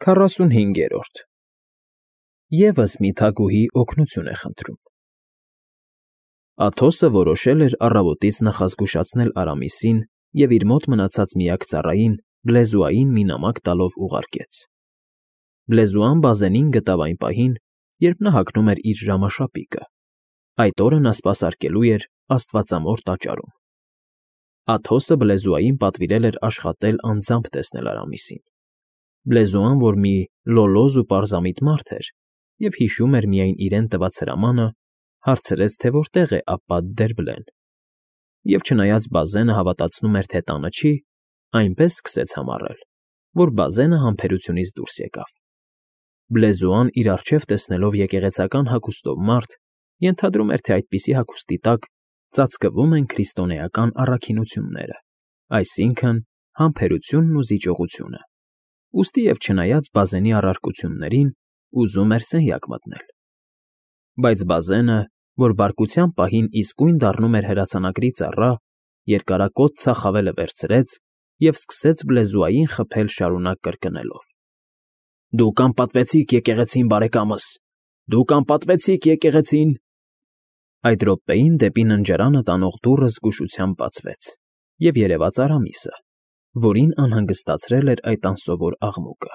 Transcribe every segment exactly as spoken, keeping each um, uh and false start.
Քառասունհինգերորդ Եվս մի թագուհի օգնություն է խնդրում։ Աթոսը որոշել էր առավոտից նախազգուշացնել Արամիսին և իր մոտ մնացած միակ ծառային՝ Բլեզուային մի նամակ տալով ուղարկեց։ Բլեզուան Բազենին գտավ այն պահին, երբ նա հագնում էր իր ժամաշապիկը։ Այդ օրը նա սպասարկելու էր աստվածամոր տաճարում։ Աթոսը Բլեզուային պատվիրել էր աշխատել անձամբ տեսնել Արամիսին։ Բլեզուան, որ մի լոլոզ ու պարզամիտ մարդ էր և հիշում էր միայն իրեն տված հրամանը, հարցրեց, թե որտեղ է Աբբատ֊դեռ֊Բլեն, և չնայած Բազենը հավատացնում էր, թե տանը չի, այնպես սկսեց համառել, որ Բազենը համբերությունից դուրս եկավ։ Բլեզուան, իր առջև տեսնելով եկեղեցական հագուստով մարդ, ենթադրում էր, թե այդպիսի հագուստի տակ ծածկվում են քրիստոնեական առաքինությունները, այսինքն՝ համբերությունն ու զիջողությունը, ուստի և չնայած Բազենի առարկություններին, ուզում էր սենյակ մտնել։ Բայց Բազենը, որ բարկության պահին իսկույն դառնում էր հրացանակրի ծառա, երկարակոթ ծախավելը վերցրեց և սկսեց Բլեզուային խփել շարունակ կրկնելով. «Դուք անպատվեցիք եկեղեցին, բարեկամս, դուք անպատվեցիք եկեղեցին»։ Այդ րոպեին դեպի ննջարանը տանող դուռը զգուշությամբ բացվեց, և երևաց Արամիսը, որին անհանգստացրել էր այդ անսովոր աղմուկը։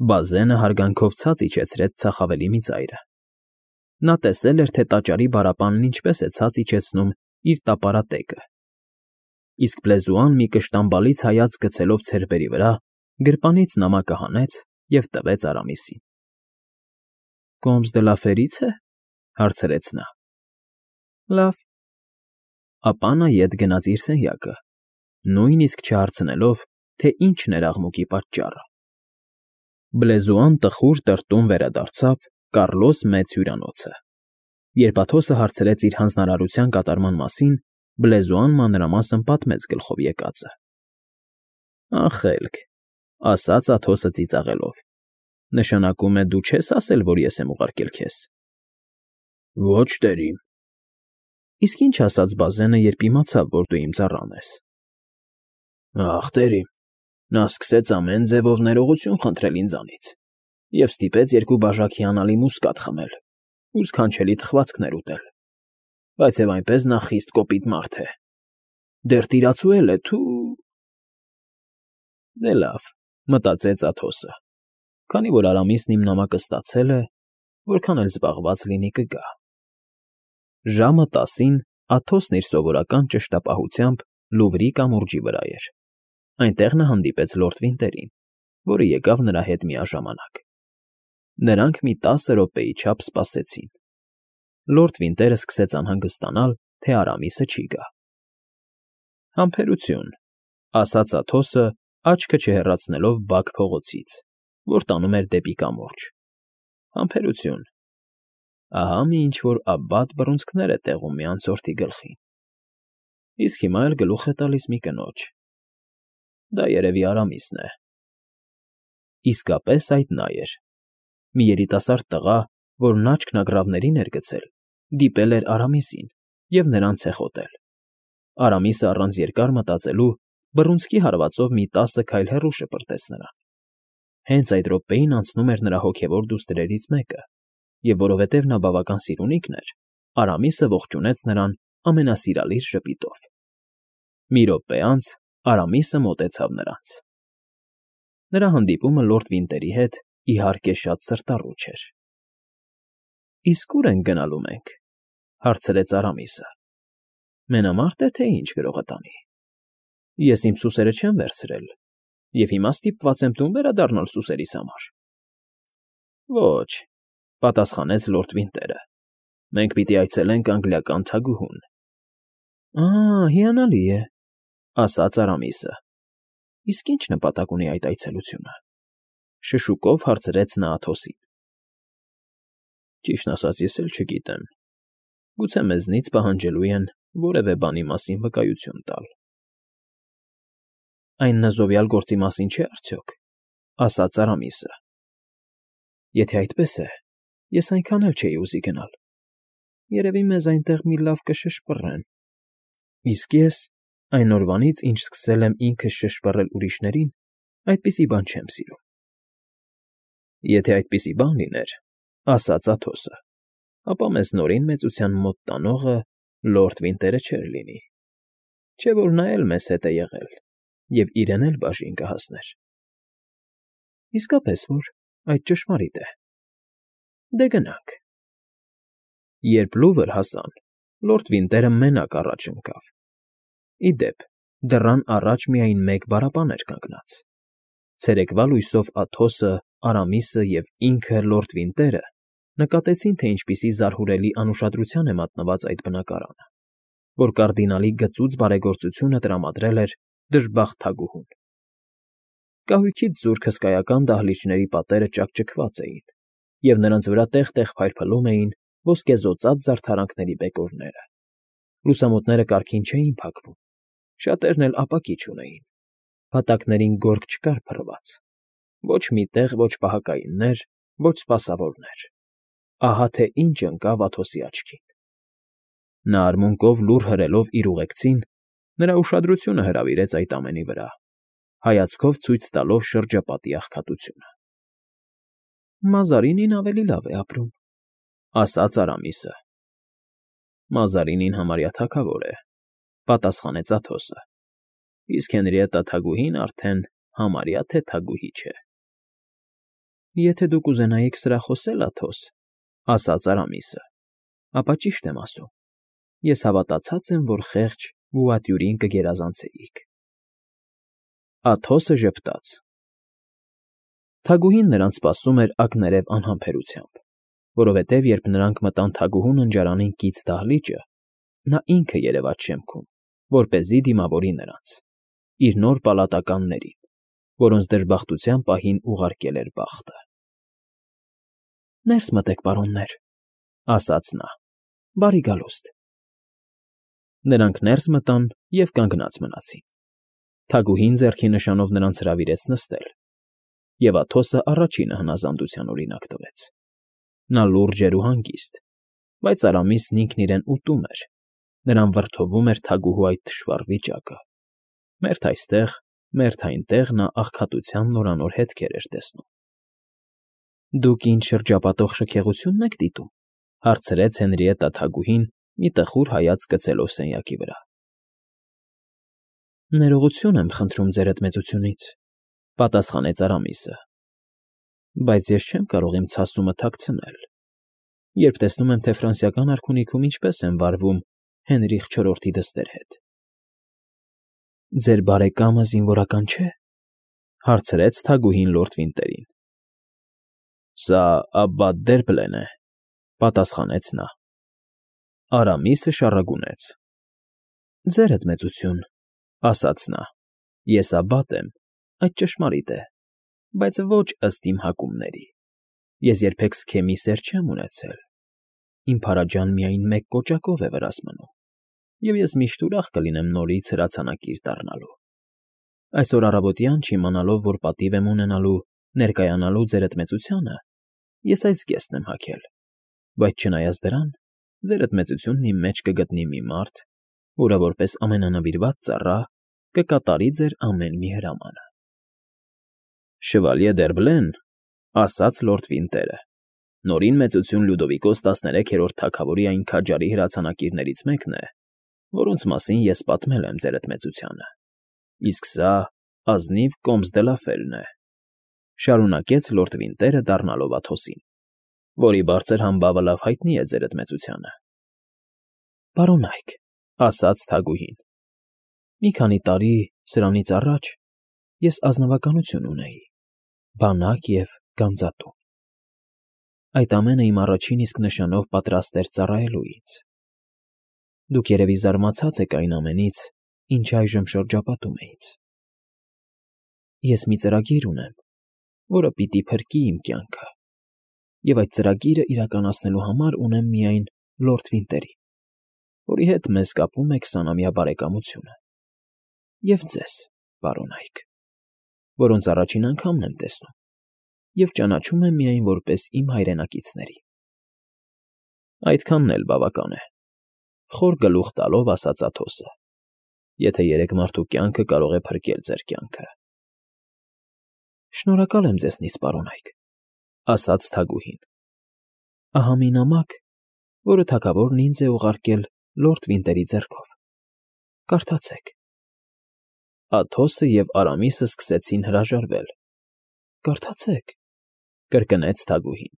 Բազենը հարգանքով ցած իջեցրեց ծախավելի մի ծայրը։ Նա տեսել էր, թե տաճարի բարապանն ինչպես է ցած իջեցնում իր տապարատեկը, իսկ Բլեզուան մի կշտամբալից հայացք գցելով ցերբերի վրա, գրպանից նամակը հանեց և տվեց Արամիսին։ ֊ Կոմս դը լա Ֆերից է,֊ հարցրեց նա։ ֊ Լավ։ Ապա նա ետ գնաց իր սենյակը, նույնիսկ չհարցնելով, թե ինչն էր աղմուկի պատճառը։ Բլեզուան տխուր տրտում վերադարձավ Կառլոս Մեծ հյուրանոցը։ Երբ Աթոսը հարցրեց իր հանձնարարության կատարման մասին, Բլեզուան մանրամասն պատմեց գլխով եկածը։ ֊ Անխելք,֊ ասաց Աթոսը ծիծաղելով,֊ նշանակում է դու չես ասել, որ ես եմ ուղարկել քեզ։ ֊ Ոչ, տերիմ։ ֊ Իսկ ի՞նչ ասաց Բազենը, երբ իմացավ, որ դու իմ ծառան ես։ ֊ Ախ, տերիմ, նա սկսեց ամեն ձևով ներողություն խնդրել ինձանից և ստիպեց երկու բաժակ հիանալի մուսկատ խմել ու սքանչելի թխվածքներ ուտել, բայց և այնպես նա խիստ կոպիտ մարդ է, դեռ տիրացու էլ է, թու… Դե լավ, մտածեց Աթոսը, քանի որ Արամիսն իմ նամակը ստացել է, որքան էլ զբաղված լինի, կգա։ Ժամը տասին Աթոսն իր սովորական ճշտապահությամբ Լուվրի կամուրջի վրա էր։ Այնտեղ նա հանդիպեց լորդ Վինտերին, որը եկավ նրա հետ միաժամանակ։ Նրանք մի տասը րոպեի չափ սպասեցին։ Լորդ Վինտերը սկսեց անհանգստանալ, թե Արամիսը չի գա։ ֊ Համբերություն,֊ ասաց Աթոսը, աչքը չհեռացնելով բակ փողոցից, որ տանում էր դեպի կամուրջ։ ֊ Համբերություն… Ահա մի ինչ֊որ Աբբատ բռունցքներ է տեղում մի անցորդի գլխին, իսկ հիմա էլ գլուխ է տալիս մի կնոջ… Դա երևի Արամիսն է։ Իսկապես այդ նա էր։ Մի երիտասարդ տղա, որն աչքն ագռավներին էր գցել, դիպել էր Արամիսին և նրան ցեխոտել։ Արամիսը առանց երկար մտածելու բռունցքի հարվածով մի տասը քայլ հեռու շպրտեց նրան։ Հենց այդ րոպեին անցնում էր նրա հոգևոր դուստրերից մեկը, և որովհետև նա բավական սիրունիկն էր, Արամիսը ողջունեց նրան ամենասիրալիր ժպիտով։ Մի րոպե անց Արամիսը մոտեցավ նրանց։ Նրա հանդիպումը լորդ Վինտերի հետ, իհարկե, շատ սրտառուչ էր։ ֊ Իսկ ո՞ւր ենք գնալու մենք,֊ հարցրեց Արամիսը։ Մենամարտ է, թե ինչ գրողը տանի։ Ես իմ սուսերը չեմ վերցրել և հիմա ստիպված եմ տուն վերադառնալ սուսերիս համար։ ֊ Ոչ,֊ պատասխանեց լորդ Վինտերը,֊ մենք պիտի այցելենք անգլիական թագուհուն։ ֊ Ա՜, հիանալի է,֊ ասաց Արամիսը։ Իսկ ի՞նչ նպատակ ունի այդ այցելությունը,֊ շշուկով հարցրեց նա Աթոսին։ ֊ Ճիշտն ասած, ես էլ չգիտեմ, գուցե մեզնից պահանջելու են որևէ բանի մասին վկայություն տալ։ ֊ Այն նզովյալ գործի մասին չէ՞ արդյոք,֊ ասաց Արամիսը։ ֊ Եթե այդպես է, ես այնքան էլ չէի ուզի գնալ, երևի մեզ այնտեղ մի լավ կշշպռեն, իսկ ես, այն օրվանից, ինչ սկսել եմ ինքս շշպռել ուրիշներին, այդպիսի բան չեմ սիրում։ Եթե այդպիսի բան լիներ, ասաց Աթոսը, ապա մեզ նորին մեծության մոտ տանողը լորդ Վինտերը չէր լինի, չէ՞ որ նա էլ մեզ հետ է եղել և իրեն էլ բաժին կհասներ։ ֊ Իսկապես որ այդ ճշմարիտ է, դե գնանք։ Երբ լուվր հասան, լորդ Վինտերը մենակ առաջ ընկավ. ի դեպ, դռան առաջ միայն մեկ բառապան էր կանգնած. ցերեկվա լույսով Աթոսը, Արամիսը և ինքը՝ լորդ Վինտերը նկատեցին, թե ինչպիսի զարհուրելի անուշադրության է մատնված այդ բնակարանը, որ կարդինալի գծուծ բարեգործությունը տրամադրել էր դժբախտ թագուհուն։ Կահույքից զուրկ հսկայական դահլիճների պատերը ճաքճքված էին, և նրանց վրա տեղ֊տեղ փայլփլում էին ոսկեզօծած զարդարանքների բեկորները։ Լուսամուտները կարգին չէին փակվում, շատերն էլ ապակի չունեին, փաթակներին գորգ չկար փռված, ոչ մի տեղ ոչ պահակայիններ, ոչ սպասավորներ։ Ահա թե ինչ ընկավ Աթոսի աչքին։ Նա արմունկով լուր հրելով իր ուղեկցին, նրա ուշադրությունը հրավիրեց այդ ամենի վրա, հայացքով ցույց տալով շրջապատի աղքատությունը։ ֊ Մազարինին ավելի լավ է ապրում,֊ ասաց Արամիսը։ ֊ Մազարինին համարյա թագավոր է,֊ պատասխանեց Աթոսը,֊ իսկ Հենրիետտա թագուհին արդեն համարյա թե թագուհի չէ։ ֊ Եթե դու կուզենայիք սրախոսել, Աթոս,֊ ասաց Արամիսը,֊ ապա ճիշտ եմ ասում. ես հավատացած եմ, որ խեղճ Բուատյուրին կգերազանցեիք։ Աթոսը ժպտաց։ Թագուհին նրանց սպասում էր ակներև անհամբերությամբ, որովհետև երբ նրանք մտան թագուհու ննջարանին կից դահլիճը, նա ինքը երևաց շեմքում, որպեսզի դիմավորի նրանց, իր նոր պալատականներին, որոնց դժբախտության պահին ուղարկել էր բախտը։ ֊ Ներս մտեք, պարոններ,֊ ասաց նա,֊ բարի գալուստ։ Նրանք ներս մտան և կանգնած մնացին։ Թագուհին ձեռքի նշանով նրանց հրավիրեց նստել, և Աթոսը առաջինը հնազանդության օրինակ տվեց։ Նա լուրջ էր ու հանգիստ, բայց Արամիսն ինքն իրեն ուտում էր, նրան վրդովում էր թագուհու այդ թշվառ վիճակը։ Մերթ այստեղ, մերթ այնտեղ նա աղքատության նորանոր հետքեր էր տեսնում։ ֊ Դուք ինչ շրջապատող շքեղությո՞ւնն եք դիտում,֊ հարցրեց Հենրիետտա թագուհին, մի տխուր հայացք գցելով սենյակի վրա։ ֊ Ներողություն եմ խնդրում ձերդ մեծությունից,֊ պատասխանեց Արամիսը,֊ բայց ես չեմ կարող իմ ցասումը թաքցնել, երբ տեսնում եմ, թե ֆրանսիական արքունիքում ինչպես են վարվում Հենրիխ չորրորդի դստեր հետ։ ֊ Ձեր բարեկամը զինվորական չէ,֊ հարցրեց թագուհին լորդ Վինտերին։ ֊ Սա Աբբատ Դերբլեն է,֊ պատասխանեց նա։ Արամիսը շառագունեց. ֊ Ձերդ մեծություն,֊ ասաց նա,֊ ես Աբբատ եմ, այդ ճշմարիտ է, բայց ոչ ըստ իմ հակումների. ես երբեք սքեմի սեր չեմ ունեցել, իմ փարաջան միայն մեկ կոճակով է վրաս մնում, և ես միշտ ուրախ կլինեմ նորից հրացանակիր դառնալու։ Այսօր առավոտյան, չիմանալով, որ պատիվ եմ ունենալու ներկայանալու ձերդ մեծությանը, ես այս զգեստն եմ հագել, բայց չնայած դրան, ձերդ մեծությունն իմ մեջ կգտնի մի մարդ, որը որպես ամենանվիրված ծառա կկատարի ձեր ամեն մի հրամանը։ ֊ Շվալյե Դերբլեն,֊ ասաց լորդ Վինտերը,֊ նորին մեծություն Լյուդովիկոս տասներեքերորդ թագավորի այն քաջարի հրացանակիրներից մեկն է, որոնց մասին ես պատմել եմ ձերդ մեծությանը, իսկ սա ազնիվ Կոմս դը լա Ֆելն է,֊ շարունակեց լորդ Վինտերը դառնալով Աթոսին, որի բարձր համբավը լավ հայտնի է ձերդ մեծությանը։ ֊ Պարոնայք,֊ ասաց թագուհին,֊ մի քանի տարի սրանից առաջ ես ազնվականություն ունեի, բանակ և գանձատուն։ Այդ ամենը իմ առաջին իսկ նշանով պատրաստ էր ծառայելու ինձ։ Դուք երևի զարմացած եք այն ամենից, ինչ այժմ շրջապատում է ինձ։ Ես մի ծրագիր ունեմ, որը պիտի փրկի իմ կյանքը, և այդ ծրագիրը իրականացնելու համար ունեմ միայն լորդ Վինտերին, որի հետ մեզ կապում է քսանամյա բարեկամությունը, և ձեզ, պարոնայք, որոնց առաջին անգամն եմ տեսնում և ճանաչում եմ միայն որպես իմ հայրենակիցների։ ֊ Այդքանն էլ բավական է,֊ խոր գլուխ տալով ասաց Աթոսը,֊ եթե երեք մարդու կյանքը կարող է փրկել ձեր կյանքը։ ֊ Շնորհակալ եմ ձեզնից, պարոնայք, ասաց թագուհին։ Ահա մի նամակ, որը թագավորն ինձ է ուղարկել լորդ Վինտերի ձեռքով։ Կարդացեք։ Աթոսը և Արամիսը սկսեցին հրաժարվել։ Կարդացեք, կրկնեց թագուհին։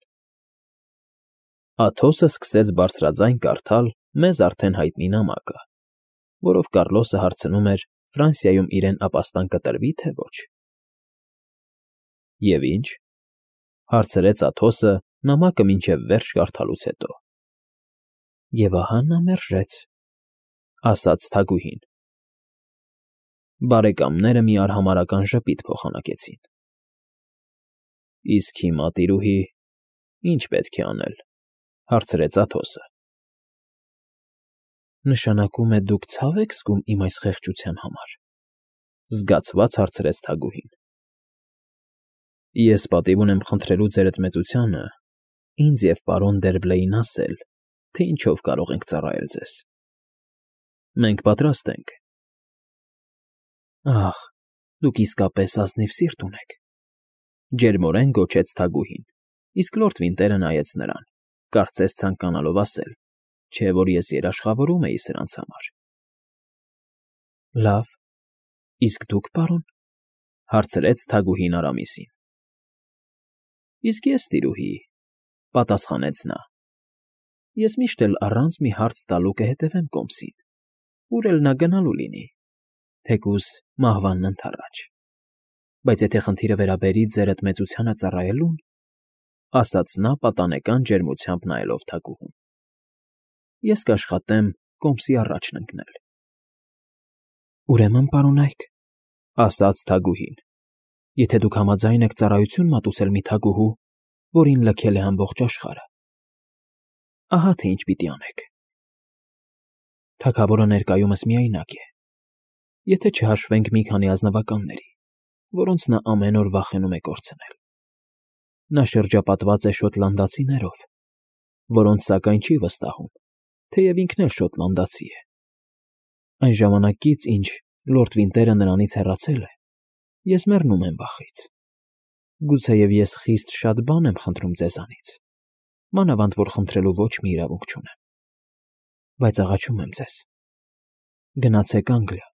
Աթոսը սկսեց բարձրաձայն կարդալ մեզ արդեն հայտնի նամակը, որով Կառլոսը հարցնում էր Ֆրանսիայում իրեն ապաստան կտրվի, թե ոչ։ Եվ ինչ, հարցրեց Աթոսը նամակը մինչև վերջ կարդալուց հետո։ Եվ ահա նա մերժեց, ասաց թագուհին։ Բարեկամները մի արհամարհական ժպիտ փոխանակեցին։ Իսկ հիմա, տիրուհի, ի՞նչ պետք է անել, հարցրեց Աթոսը։ Նշանակում է դուք ցավ եք զգում իմ այս խեղճության համար, զգացված հարցրեց թագուհին։ Ես պատիվ ունեմ խնդրելու ձերդ մեծությանը ինձ և պարոն Դերբլեին ասել, թե ինչով կարող ենք ծառայել ձեզ։ Մենք պատրաստ ենք։ Ախ, դուք իսկապես ազնիվ սիրտ ունեք, ջերմորեն գոչեց թագուհին, իսկ լորդ Վինտերը նայեց նրան, կարծես ցանկանալով ասել, չէ՞ որ ես երաշխավորում էի սրանց համար։ Լավ, իսկ դուք, պարոն, հարցրեց թագուհին Արամիսին։ Իսկ ես, տիրուհի, պատասխանեց նա, ես միշտ էլ առանց մի հարց տալու կհետևեմ կոմսին, ուր էլ նա գնալու լինի, թեկուզ մահվանն ընդառաջ։ Բայց եթե խնդիրը վերաբերի ձերդ մեծությանը ծառայելուն, ասաց նա պատանեկան ջերմությամբ նայելով թագուհուն, ես կաշխատեմ կոմսի առաջն ընկնել։ Ուրեմն, պարոնայք, ասաց թագուհին, եթե դուք համաձայն եք ծառայություն մատուցել մի թագուհու, որին լքել է ամբողջ աշխարհը, ահա թե ինչ պիտի անեք։ Թագավորը ներկայումս միայնակ է, եթե չհաշվենք մի քանի ազնվականների, որոնց նա ամեն օր վախենում է կորցնել։ Նա շրջապատված է շոտլանդացիներով, որոնց սակայն չի վստահում, թեև ինքն էլ շոտլանդացի է։ Այն ժամանակից, ինչ լորդ Վինտերը նրանից հեռացել է, ես մեռնում եմ վախից։ Գուցեև ես խիստ շատ բան եմ խնդրում ձեզանից, մանավանդ որ խնդրելու ոչ մի իրավունք չունեմ։ Բայց աղաչում եմ ձեզ, գնացեք Անգլիա,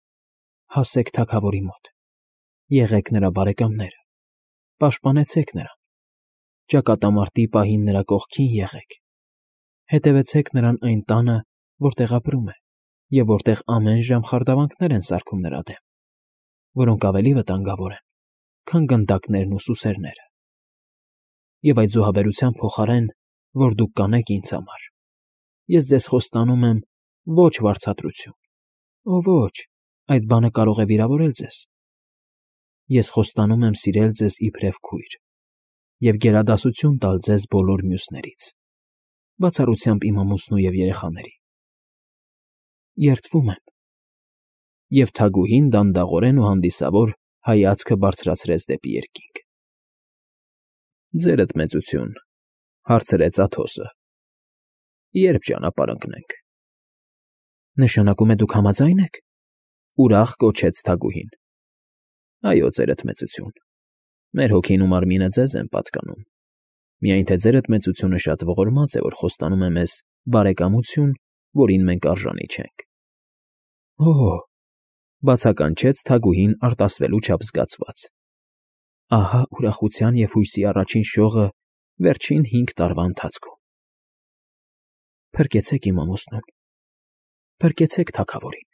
հասեք թագավորի մոտ, եղեք նրա բարեկամները, պաշտպանեցեք նրան, ճակատամարտի պահին նրա կողքին եղեք, հետևեցեք նրան այն տանը, որտեղ ապրում է, և որտեղ ամեն ժամ խարդավանքներ են սարքում նրա դեմ, որոնք ավելի վտանգավոր են, քան գնդակներն ու սուսերները։ Եվ այդ զոհաբերության փոխարեն, որ դուք կանեք ինձ համար, ես ձեզ խոստանում եմ ոչ վարձատրություն, օ ոչ, այդ բանը կարող է վիրավորել ձեզ։ Ես խոստանում եմ սիրել ձեզ իբրև քույր և գերադասություն տալ ձեզ բոլոր մյուսներից, բացառությամբ իմ ամուսնու և երեխաների։ Երդվում եմ։ Եվ թագուհին դանդաղորեն ու հանդիսավոր հայացքը բարձրացրեց դեպի երկինք։ Ձերդ մեծություն, հարցրեց Աթոսը, երբ ճանապարհ ընկնենք։ Նշանակում է դուք համաձայն եք, ուրախ կոչեց թագուհին։ Այո, ձերդ մեծություն, մեր հոգին ու մարմինը ձեզ են պատկանում, միայն թե ձերդ մեծությունը շատ ողորմած է, որ խոստանում է մեզ բարեկամություն, որին մենք արժանի չենք։ Օ՜, բացականչեց թագուհին արտասվելու չափ զգացված։ Ահա ուրախության և հույսի առաջին շողը վերջին հինգ տարվա ընթացքում։ Փրկեցեք իմ ամուսնուն, փրկեցեք թագավորին,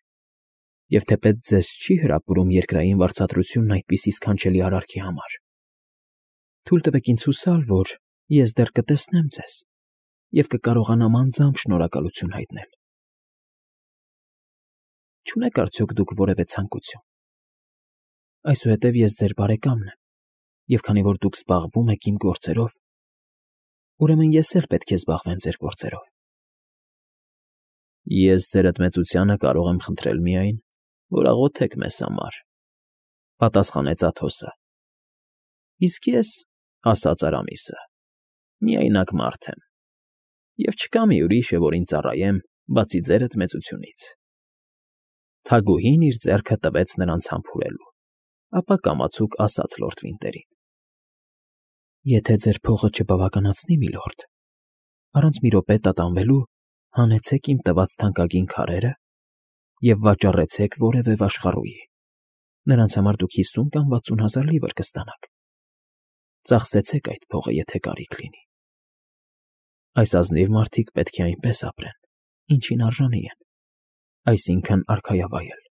և թեպետ ձեզ չի հրապուրում երկրային վարձատրությունն այդպիսի սքանչելի արարքի համար, թույլ տվեք ինձ հուսալ, որ ես դեռ կտեսնեմ ձեզ և կկարողանամ անձամբ շնորհակալություն հայտնել։ Չունեք արդյոք դուք որևէ ցանկություն։ Այսուհետև ես ձեր բարեկամն եմ, և քանի որ դուք զբաղվում եք իմ գործերով, ուրեմն ես էլ պետք է զբաղվեմ ձեր գործերով։ Ես ձերդ մեծությանը կարող եմ խնդրել միայն, որ աղոթեք մեզ համար, պատասխանեց Աթոսը։ Իսկ ես, ասաց Արամիսը, միայնակ մարդ եմ, և չկա մի ուրիշը, որին ծառայեմ, բացի ձերդ մեծությունից։ Թագուհին իր ձեռքը տվեց նրանց համբուրելու, ապա կամացուկ ասաց լորդ Վինտերին. Եթե ձեր փողը չբավականացնի, միլորդ, առանց մի րոպե տատանվելու հանեցեք իմ տված թանկագին քարերը և վաճառեցեք որևէ վաշխառուի. նրանց համար դուք հիսուն կամ վաթսուն հազար լիվր կստանաք. ծախսեցեք այդ փողը, եթե կարիք լինի։ Այս ազնիվ մարդիկ պետք է այնպես ապրեն, ինչին արժանի են, այսինքն՝ արքայավայել։